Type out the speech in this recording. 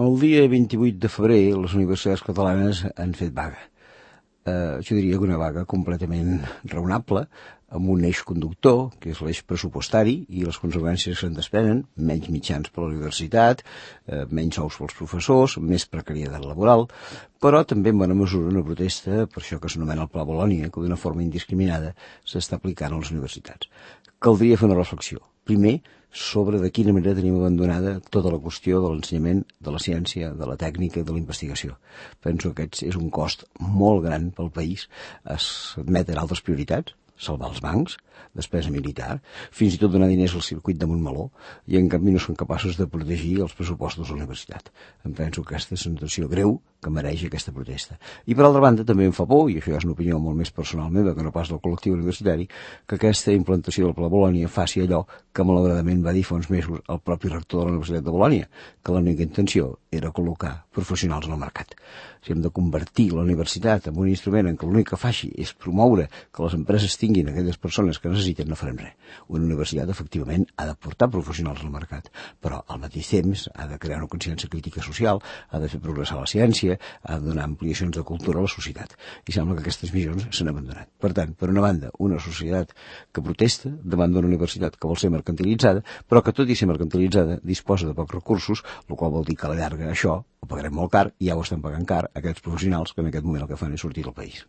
El dia 28 de febrer les universitats catalanes han fet vaga. Jo diria que una vaga completament raonable, amb un eix conductor, que és l'eix pressupostari, i les conseqüències que se'n desprenen: menys mitjans per a la universitat, menys sous pels professors, més precarietat laboral, però també en bona mesura una protesta per això que s'anomena el Pla Bolonya, que d'una forma indiscriminada s'està aplicant a les universitats. Caldria fer una reflexió. Primer, sobre de quina manera tenim abandonada tota la qüestió de l'ensenyament, de la ciència, de la tècnica i de la investigació. Penso que aquest és un cost molt gran pel país. Es admeten altres prioritats, salvar els bancs, despesa militar, fins i tot donar diners al circuit de Montmeló, i en canvi no són capaços de protegir els pressupostos de la universitat. Em penso que aquesta és una situació greu que mereix aquesta protesta. I per altra banda també em fa por, i això ja és una opinió molt més personal meva que no pas del col·lectiu universitari, que aquesta implantació del Pla Bolonya faci allò que malauradament va dir fa uns mesos el propi rector de la Universitat de Bolonya, que l'única intenció era col·locar professionals en el mercat. Si hem de convertir la universitat en un instrument en què l'únic que faci és promoure que les empreses tinguin aquelles persones que necessiten, no farem res. Una universitat, efectivament, ha de portar professionals al mercat, però al mateix temps ha de crear una consciència crítica social, ha de fer progressar la ciència, ha de donar ampliacions de cultura a la societat. I sembla que aquestes missions s'han abandonat. Per tant, per una banda, una societat que protesta davant d'una universitat que vol ser mercantilitzada, però que tot i ser mercantilitzada disposa de pocs recursos, el qual vol dir que a la llarga això ho pagarem molt car, i ja ho estan pagant car aquests professionals que en aquest moment el que fan és sortir del país.